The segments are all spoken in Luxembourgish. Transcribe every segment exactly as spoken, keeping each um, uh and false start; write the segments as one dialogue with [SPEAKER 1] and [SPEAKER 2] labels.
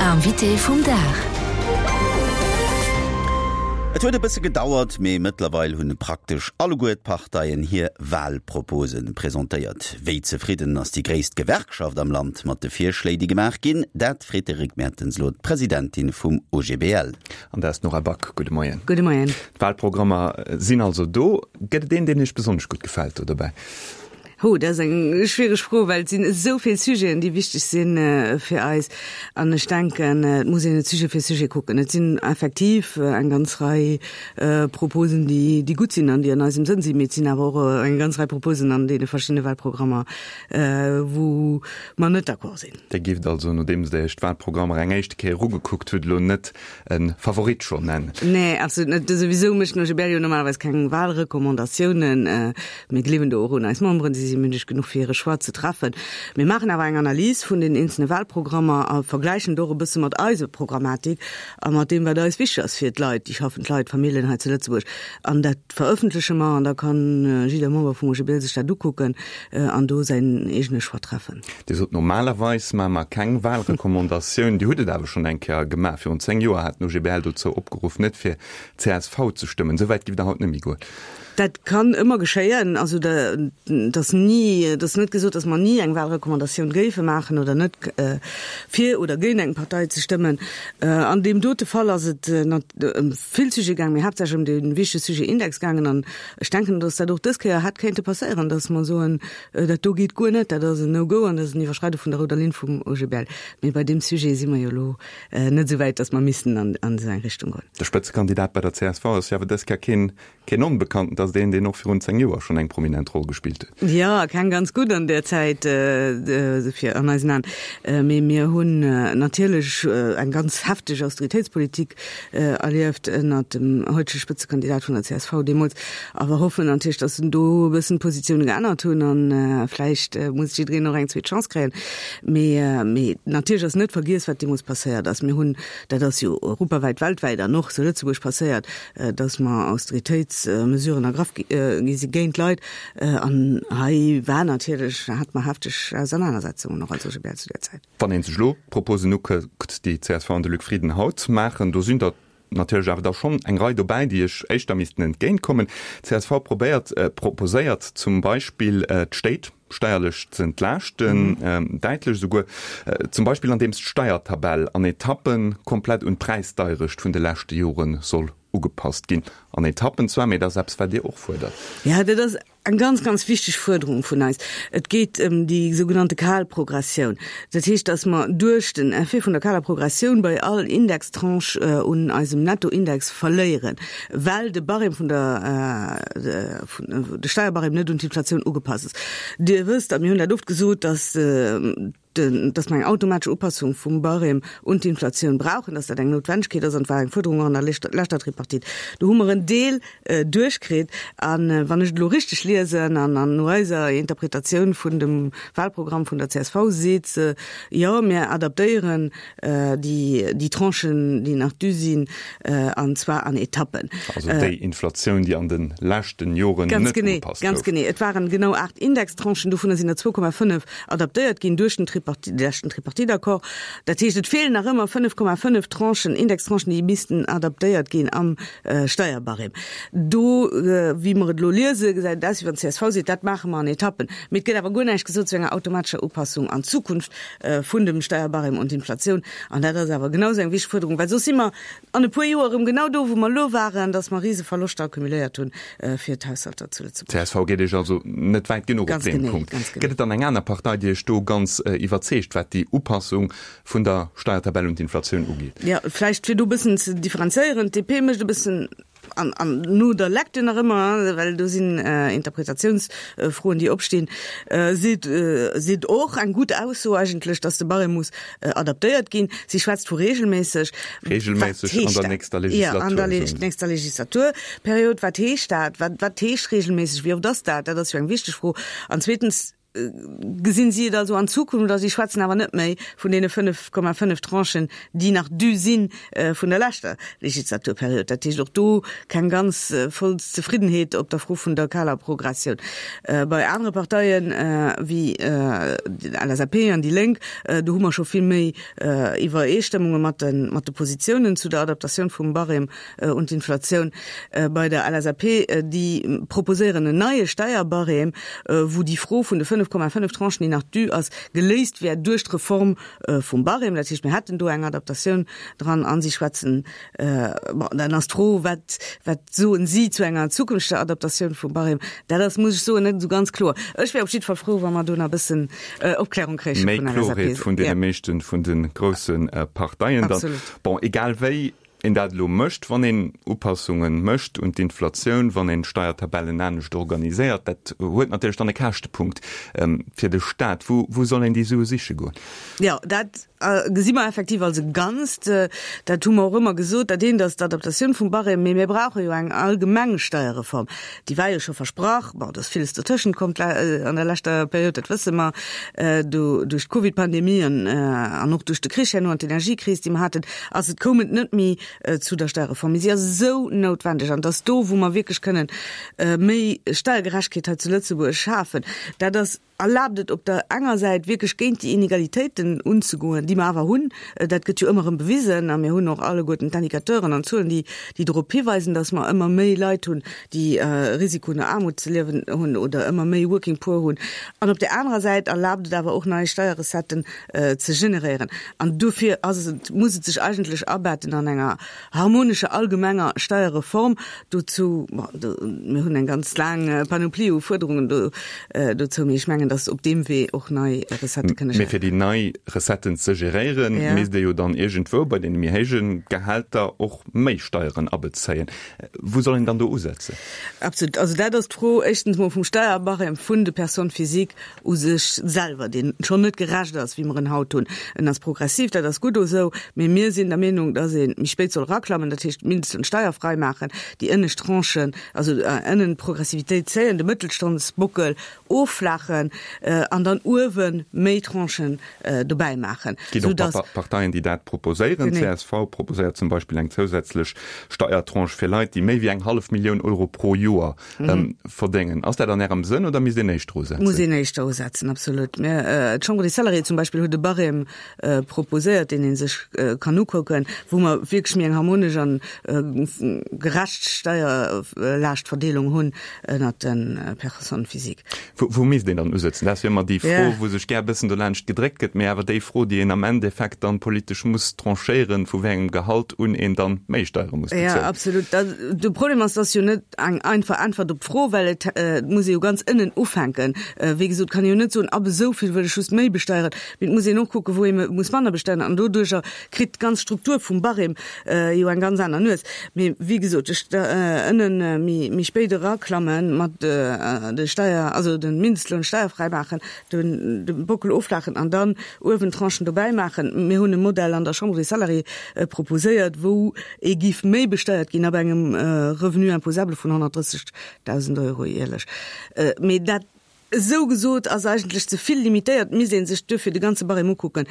[SPEAKER 1] Invité vum Dag.
[SPEAKER 2] Et huet e bësse gedauert, mee mëttlerweil hunn praktesch alleguer d'Parteien hir Walpropose presentéiert. Wéi zefridden ass déi gréisst Gewerkschaft am Land mat de Virschléi, déi gemaach ginn? Dat freet de Rick Mertens elo d'Presidentin vum O G B L.
[SPEAKER 3] An dat ass d'Nora Back. Gudde Moien.
[SPEAKER 4] Gudde Moien.
[SPEAKER 3] D'Walprogrammer sinn also do. Gëtt et een, deen Iech besonnesch gutt gefält do dobäi?
[SPEAKER 4] Ho, dat ass eng schwiereg Fro, well et sinn esou vill Sujeten, déi wichteg sinn fir eis. An ech denken, et muss een et Sujet fir Sujet kucken. Et sinn effektiv eng ganz Rei Proposen, déi, déi gutt sinn an déi an eisem Sënn sinn, mee et sinn awer och eng ganz Rei Proposen an deene verschiddene Walprogrammer, wou mer net d'accord sinn.
[SPEAKER 3] Dir gift also, nodeems Der Iech d'Walprogrammer eng éischte Kéier ugekuckt hutt, elo net e Favorit schonn nennen?
[SPEAKER 4] Nee, absolut net. Souwisou mécht den O G B L jo normalerweis keng Walrecommandatiounen. Mir gleewen do och un eis Memberen, si si mündeg genuch fir hire Choix ze treffen. Mir maachen awer eng Analys vun den eenzelne Wahlprogrammer a vergläichen do och e bësse mat eiser Programmatik a mat deem, wat eis wichteg ass fir d'Leit, déi schaffend Leit, d'Familljen hei zu Lëtzebuerg. An dat verëffentleche mer an da kann jidder Member vum O G B L sech dat ukucken an do säin eegene Choix treffen.
[SPEAKER 3] Dir sot, normalerweis maache mer keng Wahlrecommandatioun. Dir hutt et awer schonn eng Kéier gemaach. Virun zéng Joer hat den O G B L dozou opgeruff, net fir C S V ze stëmmen. Esou wäit giff Der haut net méi goen?
[SPEAKER 4] Dat kann ëmmer geschéien. Also et ass ni, et ass net gesot, datt mer ni eng Wahlrecommandatioun géife maachen oder net fir oder géint eng Partei ze stëmmen. An deem dote Fall ass et ëm vill Sujete gaangen, mee haaptsächlech ëm dee wichtege Sujet Index gaangen. An ech denken, datt dat och dës Kéier hätt kéinte passéieren, datt mer soen, dat do geet guer net, dat ass en No-Go an dat ass en Iwwerschreide vun der rouder Linn vum O G B L. Mee bei deem Sujet si mer jo elo net esou wäit, datt mer missten an esou eng Richtung goen.
[SPEAKER 3] De Spëtzekandidat bei der C S V ass jo awer dës Kéier keen Keen Onbekannten, dat ass deen, deen och virun zéng Joer schonn eng prominent Roll gespillt huet.
[SPEAKER 4] Jo, keng ganz gutt an där Zäit fir an eisen Aen. Mee mir hunn natierlech eng ganz hefteg Austeritéitspolitik erlieft ënnert dem heutege Spëtzekandidat vun der C S V deemools. A mer hoffen natierlech, datt en do e bëssen d'Positioune geännert hunn a vläicht muss jiddereen och eng zweet Chance kréien. Mee, mee natierlech ass net vergiess, wat deemools passéiert ass. Mir hunn, dat ass jo europawäit, weltwäit an och zu Lëtzebuerg passéiert, datt mer Austeritéitsmesuren ergraff gi si géint d'Leit. An hei war natierlech, hate mer hefteg Ausernanersetzungen och als O G B L zu där Zäit.
[SPEAKER 3] Wann ee sech elo d'Proposen ukuckt, déi d'C S V an de Luc Frieden haut maachen, do sinn der natierlech awer da schonn eng Rei dobäi, déi iech éischter missten entgéintkommen. D C S V probéiert, proposéiert zum Beispill d'Stéit steierlech ze entlaaschten, däitlech esouguer, zum Beispill andeems d'Steiertabell an Etappe komplett un d'Präisdeierecht vun de leschte Jore soll ugepasst ginn. An Etappen zwar, mee dat ass eppes, wat Dir och fuerdert.
[SPEAKER 4] Jo, dat ass eng ganz, ganz wichteg Fuerderung vun eis. Et geet ëm déi sougenannte kal Progressioun. Dat heescht, dass mer duerch den Effet vun der kaler Progressioun bei all Indextranche un eisem Nettoindex verléieren, well de Barème vun der, de Steierbarème net un d'Inflatioun ugepasst ass. Dir wësst, a mir hunn dat oft gesot, dass, dass mer eng automatesch Upassung vum Barème un d'Inflatioun brauchen, dass dat eng Noutwendegkeet ass an et war eng Fuerderung och an der leschter Tripartite. Do hu mer en Deel duerchkritt. A wann ech et elo richteg liesen an no eiser Interpretatioun vun dem Wahlprogramm vun der C S V, seet se, Jo, mir adaptéieren déi Tranchen, déi nach dû sinn, an zwar an Etappen.
[SPEAKER 3] Also déi Inflatioun, déi an de leschten Joren net ugepasst gouf.
[SPEAKER 4] Ganz genee. Et waren genau aacht Indextranchen, dovunner sinn der zwou Komma fënnef adaptéiert ginn duerch den Tripartite, de leschten Tripartite-Accord. Dat heescht, et feelen nach ëmmer fënnef Komma fënnef Tranchen, Indextranchen, déi missten adaptéiert ginn am Steierbarème. Do, wéi mer et elo liesen, gesäit et aus, wéi wann d'C S V seet, dat maache mer an Etappen. Mee et gëtt awer guer näischt gesot zu enger automatescher Upassung an Zukunft vun dem Steierbarème un d'Inflatioun. An dat ass awer genau esou eng wichteg Fuerderung, well soss si mer an e puer Joer erëm genau do, wou mer elo waren, dass mer rise Verloschter accumuléiert hunn fir d'Haushalter zu Lëtzebuerg.
[SPEAKER 3] D C S V geet Iech also net wäit genuch op deem Punkt. Gëtt et dann eng aner Partei, déi Iech do ganz iwwerzeegt, wat déi Upassung vun der Steiertabell un d'Inflatioun ugeet?
[SPEAKER 4] Jo, vläicht fir do e bëssen ze differenzéieren, D P mécht e bëssen, an, an no der Lecture nach ëmmer, well do sinn Interpretatiounsfroen, déi opstinn, seet, seet och eng gutt Ausso eigentlech, dass de Barème muss adaptéiert ginn. Si schwätzt vu regelméisseg.
[SPEAKER 3] Regelméisseg an der nächster
[SPEAKER 4] Legislatur. Jo, an der nächster Legislaturperiod. Wat heescht dat? Wat, wat heescht regelméisseg? Wéi oft ass dat? Dat ass jo eng wichteg Fro. An zweetens, gesinn si et also an Zukunft, oder si schwätzen awer net méi vun deene fënnef Komma fënnef Tranchen, déi nach dû si vun der leschter Legislaturperiod. Dat heescht, och do keng ganz voll Zefriddenheet op der Fro vun der kaler Progressioun. Bei anere Parteien wéi L S A P an déi Lénk, do hu mer scho vill méi Iwwereestëmmunge mat de mat de Positiounen zu der Adaptatioun vum Barème un d'Inflatioun. Bei der L S A P, déi proposéieren en neie Steierbarème, wou déi Fro vun de fënnef Komma fënnef Tranchen, déi nach dû ass, geléist wär duerch d'Reform vum Barème. Dat heescht, mir hätten do eng Adaptatioun dran an si schwätzen, bon, dann ass d'Fro, wat, wat soen si zu enger zukünfteger Adaptatioun vum Barème? Dat ass, muss ech soen, net esou ganz kloer. Ech wär op jidde Fall frou, wa mer do nach e bëssen Opklärung kréiche
[SPEAKER 3] vun der L S A P. Méi Klorheet vun deene meeschten vun de grousse Parteien dann. Bon, egal wéi een dat elo mécht, wann een Upassunge mécht un d'Inflatioun, wann een d'Steiertabellen anescht organiséiert, dat huet natierlech dann e Käschtepunkt fir de Staat. Wou, wou soll een déi Sue siche goen?
[SPEAKER 4] Jo, dat gesi mer effektiv als e Ganzt. Dat hu mer och ëmmer gesot. Dat eent ass d'Adaptatioun vum Barème, mee mir brauche jo eng allgemeng Steierreform. Déi war jo scho versprach. Bon, et ass villes dertëschent komm an der leschter Period, dat wësse mer, do duerch d'Covidpandemie an an och duerch de Krich herno an d'Energiekris, déi mer haten, ass et koum et net méi zu der Steierreform. Mee si ass esou noutwendeg an et ass do, wou mer wierklech kënnen méi Steiergerechtegkeet hei zu Lëtzebuerg schafen. Dat ass erlaabt et op der enger Säit wierklech géint déi Inegalitéiten unzegoen, déi mer awer hunn, dat gëtt jo ëmmer erëm bewisen a mir hunn och alleguerten d'Indicateuren an d'Zuelen, déi déi dorop hiweisen, datt mer ëmmer méi Leit hunn, déi Risiko no Aarmut ze liewen hunn oder ëmmer méi Working Poor hunn. An op där anerer Säit erlaabt et awer och nei Steierrecetten ze generéieren. An dofir ass et, muss et sech eigentlech abetten an enger harmonescher allgemenger Steierreform. Dozou, bon, do, mir hunn eng ganz laang Panoplie u Fuerderungen do, dozou, mee ech mengen, dass op deem Wee och nei Recettë kënne
[SPEAKER 3] Mee fir déi nei Recetten ze geréieren, misst ee jo dann iergendwou bei deene méi héije Gehälter och méi Steieren abezéien. Wou soll een dann do usetzen?
[SPEAKER 4] Absolut. Also dat ass d'Fro éischtens mol vum Steierbarème vun de Personnes physiques u sech selwer, deen schonn net gerecht ass, wéi mer en haut hunn. En ass progressiv, dat ass gutt esou, mee mir sinn der Meenung, dass ee méi spéit soll eraklammen, dat heescht d'Mindestloun steierfrei maachen, déi ënnescht Tranchen, also ënnen d'Progressivitéit zéien, de Mëttelstandsbockel offlaachen an dann uewe méi Tranchen dobäi maachen.
[SPEAKER 3] Et ginn och Parteien, déi dat proposéieren. D'C S V proposéiert zum Beispill eng zousätzlech Steiertranche fir Leit, déi méi wéi eng hallef Millioun Euro pro Joer verdéngen. Ass dat an Ärem Sënn oder misst een éischter usetzen?
[SPEAKER 4] Muss een éischter usetzen, absolut. D'Chambre des Salariés zum Beispill huet e Barème proposéiert, deen ee sech kann ukucken, wou mer wierklech méi eng harmonesch an gerecht Steierlaaschtverdeelung hunn ënnert de Personnes physiques.
[SPEAKER 3] Wou misst een dann usetzen? Dat ass jo ëmmer déi Fro, wou sech gär e bëssen dolaanscht gedréckt gëtt, mee awer déi Fro, déi een am Endeffekt dann politesch muss tranchéieren, vu wéi engem Gehalt un een dann méi Steiere muss
[SPEAKER 4] bezuelen. Jo, absolut. De Problem ass, et ass jo net eng einfach Äntwert op d'Fro, well et muss ee jo ganz ënnen ufänken. Wéi gesot, kann ee jo net soen, ab esou vill wëll ech just méi besteieren, mee et muss een och kucken, wou ee muss manner besteieren an doduercher kritt d'ganz Struktur vum Barème jo eng ganz aner Nues. Mee wéi gesot, ech ënnen méi méi spéit eraklammen mat de Steier, also de Mindestloun steierfräi maachen, den de Bockel offlaachen an dann uewen Tranchen dobäi maachen. Mir hunn e Modell an der Chambre des Salariés proposéiert, wou ee giff méi besteiert ginn ab engem Revenu imposable vun honnertdrëssegdausend Euro jäerlech. Mee dat esou gesot ass eigentlech ze vill limitéiert. Et misst ee sech duerfir de ganze Barème ukucken,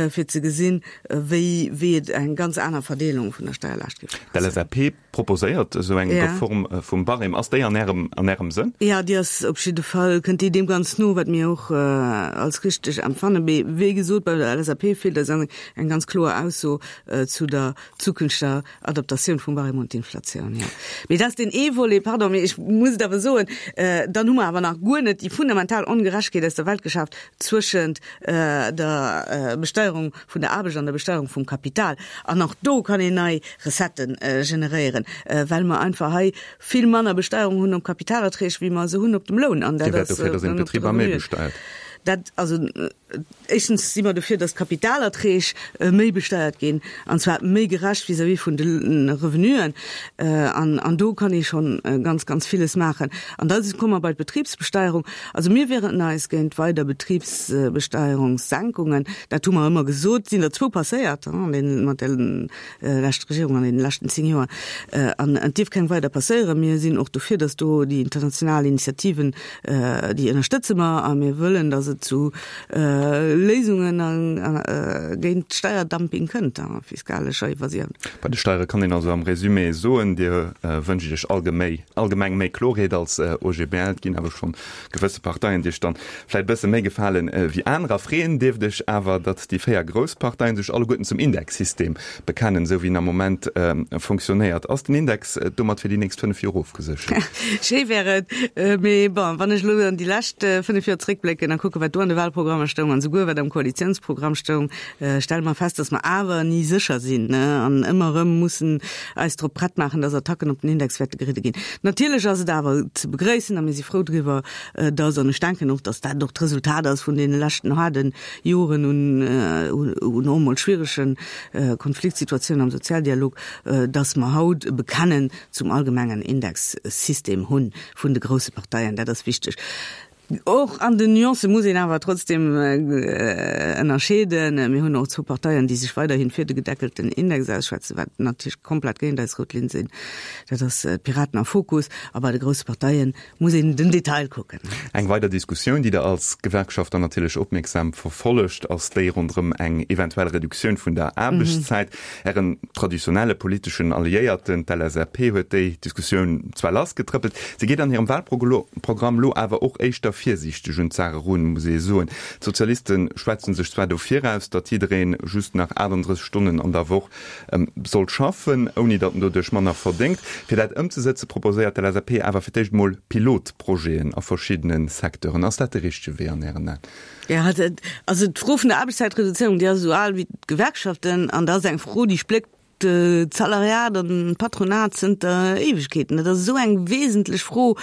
[SPEAKER 4] fir ze gesinn, wéi wéi et eng ganz aner Verdeelung vun der Steierlaascht géif
[SPEAKER 3] passen. D'L S A P proposéiert esou eng Reform vum Barème. Ass déi an Ärem an Ärem Sënn?
[SPEAKER 4] Jo, déi ass op jidde Fall, kënnt déi deem ganz no, wat mir och als richteg empfannen. Mee wéi gesot, bei der L S A P feelt eis eng ganz kloer Ausso zu der zukünfteger Adaptatioun vum Barème un d'Inflatioun, jo. Mee dat ass deen ee Volet, pardon, mee ech muss et awer soen, dann hu mer awer nach guer net déi fundamental Ongerechtegkeet aus der Welt geschaaft zwëschent der Besteierung vun der Aarbecht an der Besteierung vum Kapital. An och do kann een nei Recettë generéieren, well mer einfach hei vill manner Besteierung hunn op Kapitalerträg, wéi mer se hunn op dem Loun. An
[SPEAKER 3] dat ass, dofir, datt een d'Betriber méi besteiert.
[SPEAKER 4] Dat, also éischtens si mer dofir, dass d'Kapitalerträg méi besteiert ginn, an zwar méi gerecht vis-à-vis vun de Revenuen. An, an do kann ee schonn ganz, ganz villes maachen. An da komme mer bei d'Betribsbesteierung. Also mir wieren eis géint weider Betribsbesteierungssenkungen. Dat hu mer ëmmer gesot. Et sinn der zwou passéiert an den, mat der leschter Regierung an deene leschten zéng Joer. An et dierf keng weider passéieren. Mir sinn och dofir, dass do déi international Initiativen, déi ënnerstëtze mer a mir wëllen, dass et zu Léisungen géint Steierdumping kënnt a fiskalescher Evasioun.
[SPEAKER 3] Bei de Steiere kann een also am Résumé soen, Dir wënscht Iech allgemeng méi Klorheet als OGBL. Et ginn awer schonn gewësse Parteien, déi Iech dann vläicht e bësse méi gefalen wéi anerer. Freeën dierft Iech awer, datt déi véier grouss Parteien sech alleguerten zum Indexsystem bekennen, esou wéi en am Moment fonctionnéiert. Ass den Index domat fir déi nächst fënnef Joer ofgeséchert?
[SPEAKER 4] Schéi wär et, mee bon, wann ech elo an déi lescht fënnef Joer zréckblécken a kucke wat do an de Wahlprogrammer stoung an souguer wat am Koalitiounsprogramm stoung, stelle mer fest, datt mer awer ni sécher sinn an ëmmer erëm mussen eis drop prett maachen, datt Attacken op den Index wäerte geridde ginn. Natierlech ass et awer ze begréissen a mir si frou driwwer, datt, an ech denken och, datt dat och d'Resultat ass vun deene leschten haarde Joren un un och emol schwierege Konfliktsituatiounen am Sozialdialog, datt mer haut e Bekennen zum allgemengen Indexsystem hu vun de grousse Parteien. Dat ass wichteg. Och an den Nuancë muss een awer trotzdem ënnerscheeden. Mir hunn och zwou Parteien, déi sech weiderhin fir de gedeckelten Index ausschwätzen, wat natierlech komplett géint eis rout Linn sinn. Dat ass d'Piraten a Fokus. A bei de grousse Parteie muss een den Detail kucken.
[SPEAKER 3] Eng weider Diskussioun, déi Der als Gewerkschaft dann natierlech opmierksam verfollegt, ass déi ronderëm eng eventuell Reduktioun vun der Aarbechtszäit. Ären traditionelle politeschen Alliéierten, d'LSAP, huet déi Diskussioun zwar lassgetrëppelt, se geet an hirem Wahlprogramm lo awer och éischter virsiichteg un d'Saach erun, muss ee soen. D'Sozialiste schwätze sech zwar dofir aus, datt jidderee just nach achtundrësseg Stonnen an der Woch soll schaffen, ouni datt en doduerch manner verdéngt. Fir dat ëmzesëtze proposéiert d'LSAP awer fir d'éischt emol Pilotprojeten a verschiddene Secteuren. Ass dat de richtege Wee an Ären Aen?
[SPEAKER 4] Jo, also d'Fro vun der Aarbechtszäitreduzéierung, déi ass esou al wéi d'Gewerkschaften an dat ass eng Fro, déi spléckt d'Salariat an d'Patronat zënter Éiwegkeeten. Dat ass esou eng wesentlech Fro,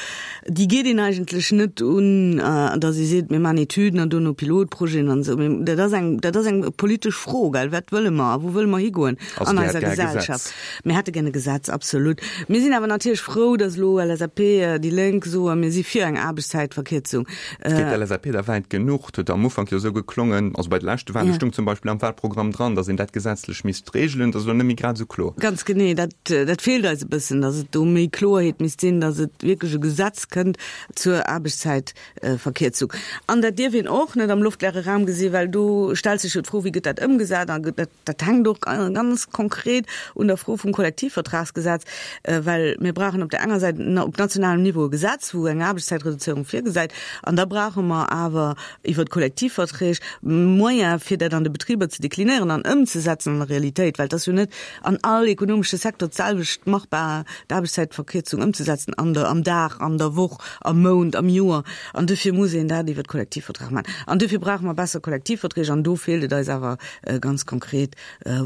[SPEAKER 4] déi geet een eigentlech net un, datt ee seet, mir maachen Etüden an dono Pilotprojeten an esou. Mee dat ass eng, dat ass eng politesch Fro, gell, Wat wëlle mer a wou wëlle mer higoen an eiser Gesellschaft? Mir hätte gär e Gesetz, absolut. Mir sinn awer natierlech frou, datt elo LSAP, déi Lénk soen, mir si fir eng Aarbechtszäitverkierzung.
[SPEAKER 3] Geet d'LSAP da wäit genuch? Et huet am Ufank jo esou geklongen, also bei de leschte Wahlen stung zum Beispill am Wahlprogramm dran, datt een dat gesetzlech misst regelen. Dat ass elo net méi grad esou kloer.
[SPEAKER 4] Ganz genee, dat, dat feelt eis e bëssen, datt et do méi Kloerheet misst sinn, datt et wierklech e Gesetz kënnt zur Aarbechtszäitverkierzung. An dat dierf een och net am luftleere Raum gesinn, well do stellt sech jo d'Fro, wéi gëtt dat ëmgesat? A dat, dat hänkt och ganz konkret un der Fro vum Kollektivvertragsgesetz, well mir brauchen op där enger Säit op nationalem Niveau e Gesetz, wou eng Aarbechtszäitreduzéierung virgesäit, an da brauche mer awer iwwert d'Kollektivverträg Moyene fir dat an de Betriber ze deklinéieren an ëmzesetzen an der Realitéit, well et ass jo net an all ekonomesche Secteur d'selwecht machbar, d'Aarbechtszäitverkierzung ëmzesetzen an der, am Dag, an der Woch, am Mount, am Joer. An dofir muss een dat iwwert d'Kollektivvertrag maachen. An dofir brauche mer besser Kollektivverträg an do feelt et eis awer ganz konkret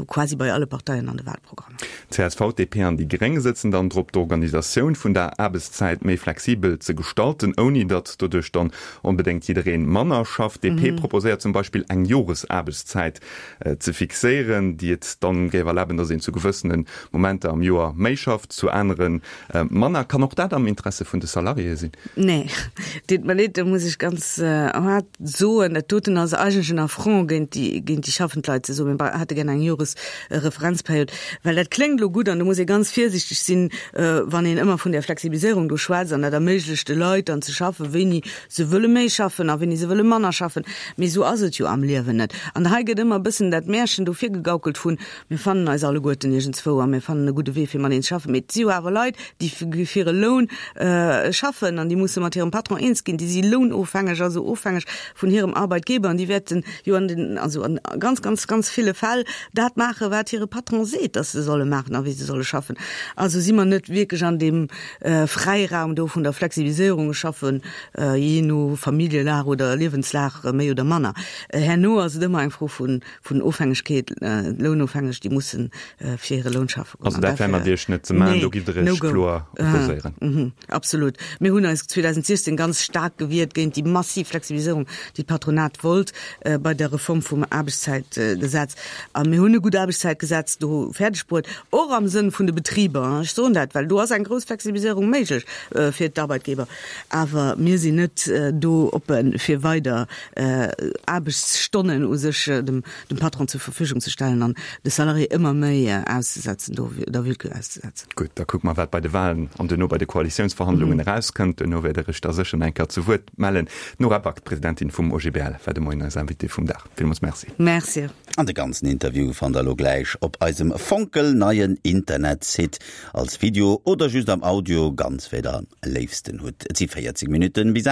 [SPEAKER 4] quasi bei alle Parteien an de Wahlprogrammer.
[SPEAKER 3] Csv, DP an déi Gréng sëtzen dann drop, d'Organisatioun vun der Aarbechtszäit méi flexibel ze gestalten, ouni datt doduerch dann onbedéngt jidderee manner schafft. DP proposéiert zum Beispill eng Joresaarbechtszäit ze fixéieren, déi et dann géif erlaben, datt een zu gewëssene Momenter am Joer méi schafft, zu anere manner. Kann och dat am Interesse vun de Salariéë sinn?
[SPEAKER 4] Nee, deet mer leed, do muss ech ganz haart soen, dat doten ass eigentlech en Affront géint déi, géint déi schaffend Leit, ze soen, mir hätte gär eng Joresreferenzperiod, well dat kléngt elo gutt an do muss ee ganz virsiichteg sinn, wann een ëmmer vun där Flexibiliséierung do schwätzt an dat erméiglecht de Leit dann ze schaffen, wéini se wëlle méi schaffen a wéini se wëlle manner schaffen. Mee esou ass et jo am Liewen net. An hei gëtt ëmmer e bëssen dat Märchen do virgegaukelt vun, mir fannen eis alleguerten iergendzwou a mir fannen e gudde Wee fir mateneen ze schaffen. Mee et si jo awer Leit, déi fir e Loun schaffen an déi musse mat hirem Patron eens ginn. Déi si lounofhängeg, also ofhängeg vun hirem Arbeitgeber an déi wäerten jo an den, also an ganz, ganz, ganz ville Fäll dat maachen, wat hire Patron seet, dass se solle maachen a wéi se solle schaffen. Also si mer net wierklech an deem Fräiraum do vun der Flexibiliséierung, ech schaffen jee no Familljelag oder Liewenslag méi oder manner. Herno ass et ëmmer eng Fro vun, vun Ofhängegkeet, Lounofhängeg, déi mussen fir hire Loun schaffe
[SPEAKER 3] goen. Also dat wär mat Iech net ze maachen, do giff Der Iech kloer opposéieren?
[SPEAKER 4] Absolut. Mir hunn eis zweedausentsiechzéng ganz staark gewiert géint déi massiv Flexibiliséierung, déi d'Patronat wollt bei der Reform vum Aarbechtszäitgesetz. A mir hunn e gutt Aarbechtszäitgesetz do fäerdeg bruet, och am Sënn vun de Betriber. Ech soen dat, well do ass eng grouss Flexibiliséierung méiglech fir d'Arbeitgeber. Awer mir sinn net do oppe fir weider Aarbechtsstonnen u sech dem Patron zur Verfügung ze stellen an de Salarié ëmmer méi auszesetzen, do der Willkür auszesetzen.
[SPEAKER 3] Gutt, da kucke mer, wat bei de Wahlen an duerno bei de Koalitiounsverhandlungen erauskënnt. Duerno wäert Der Iech da sécher nach eng Kéier zu Wuert mellen. D'Nora Back, d'Presidentin vum O G B L, war de Moien eis Invitée vum Dag. Villmools Merci.
[SPEAKER 4] Merci.
[SPEAKER 2] An de ganzen Interview fannt der elo gläich op eisem fonkelneien Internetsite als Video oder just am Audio, ganz wéi der am léifsten hutt. Et si véierzeg Minutten bis aacht.